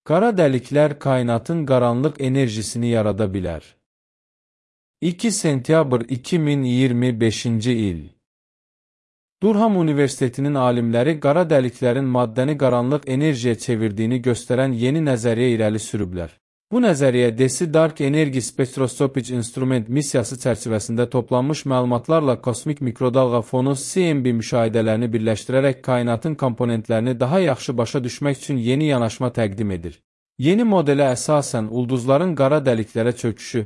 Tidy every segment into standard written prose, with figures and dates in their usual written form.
Qara dəliklər kainatın qaranlıq enerjisini yarada bilər. 2 sentyabr 2025-ci il. Durham Universitetinin alimləri qara dəliklərin maddəni qaranlıq enerjiyə çevirdiyini göstərən yeni nəzəriyyə irəli sürüblər. Bu nəzəriyyə DESI Dark Energy Spectroscopic Instrument missiyası çərçivəsində toplanmış məlumatlarla kosmik mikrodalğa fonu CMB müşahidələrini birləşdirərək kainatın komponentlərini daha yaxşı başa düşmək üçün yeni yanaşma təqdim edir. Yeni modelə əsasən ulduzların qara dəliklərə çöküşü,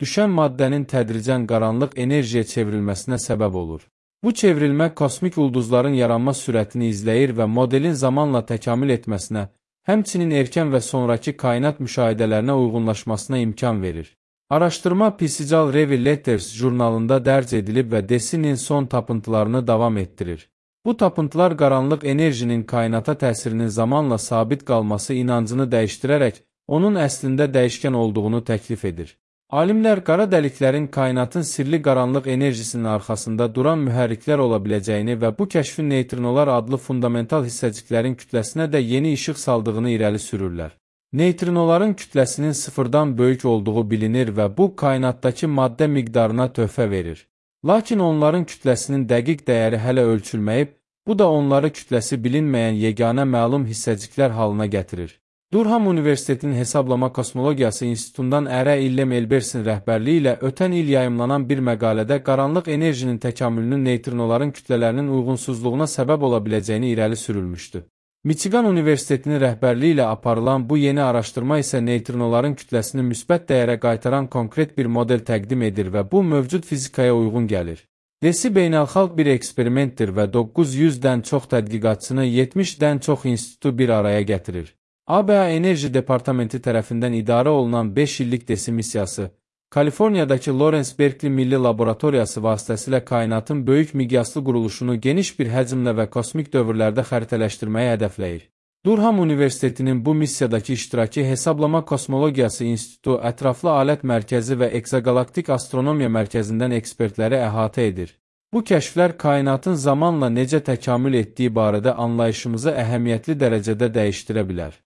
düşən maddənin tədricən qaranlıq enerjiyə çevrilməsinə səbəb olur. Bu çevrilmə kosmik ulduzların yaranma sürətini izləyir və modelin zamanla təkamül etməsinə, həmçinin erkən və sonraki kainat müşahidələrinə uyğunlaşmasına imkan verir. Araşdırma PCGAL Review Letters jurnalında dərc edilib və DESI'nin son tapıntılarını davam etdirir. Bu tapıntılar qaranlıq enerjinin kainata təsirinin zamanla sabit qalması inancını dəyişdirərək, onun əslində dəyişkən olduğunu təklif edir. Alimlər qara dəliklərin kainatın sirli qaranlıq enerjisinin arxasında duran mühərriklər ola biləcəyini və bu kəşfin neytrinolar adlı fundamental hissəciklərin kütləsinə də yeni işıq saldığını irəli sürürlər. Neytrinoların kütləsinin sıfırdan böyük olduğu bilinir və bu kainatdakı maddə miqdarına töhfə verir. Lakin onların kütləsinin dəqiq dəyəri hələ ölçülməyib, bu da onları kütləsi bilinməyən yeganə məlum hissəciklər halına gətirir. Durham Universitetinin Hesablama Kosmologiyası İnstitutundan Ərə İllem Elbersin rəhbərliyi ilə ötən il yayımlanan bir məqalədə qaranlıq enerjinin təkamülünün neytrinoların kütlələrinin uyğunsuzluğuna səbəb ola biləcəyini irəli sürülmüşdü. Michigan Universitetinin rəhbərliyi ilə aparılan bu yeni araşdırma isə neytrinoların kütləsini müsbət dəyərə qaytaran konkret bir model təqdim edir və bu mövcud fizikaya uyğun gəlir. DESI beynəlxalq bir eksperimentdir və 900-dən çox tədqiqatçını 70-dən çox institutu bir araya gətirir. ABA Enerji Departamenti tərəfindən idarə olunan 5 illik DESI missiyası, Kaliforniyadakı Lawrence Berkeley Milli Laboratoriyası vasitəsilə kainatın böyük miqyaslı quruluşunu geniş bir həcmlə və kosmik dövrlərdə xəritələşdirməyi hədəfləyir. Durham Universitetinin bu missiyadakı iştirakı Hesablama Kosmologiyası İnstitutu, Ətraflı Alət Mərkəzi və Eksogalaktik Astronomiya Mərkəzindən ekspertləri əhatə edir. Bu kəşflər kainatın zamanla necə təkamül etdiyi barədə anlayışımızı əhəmiyyətli dərəcədə dəyişdirə bilər.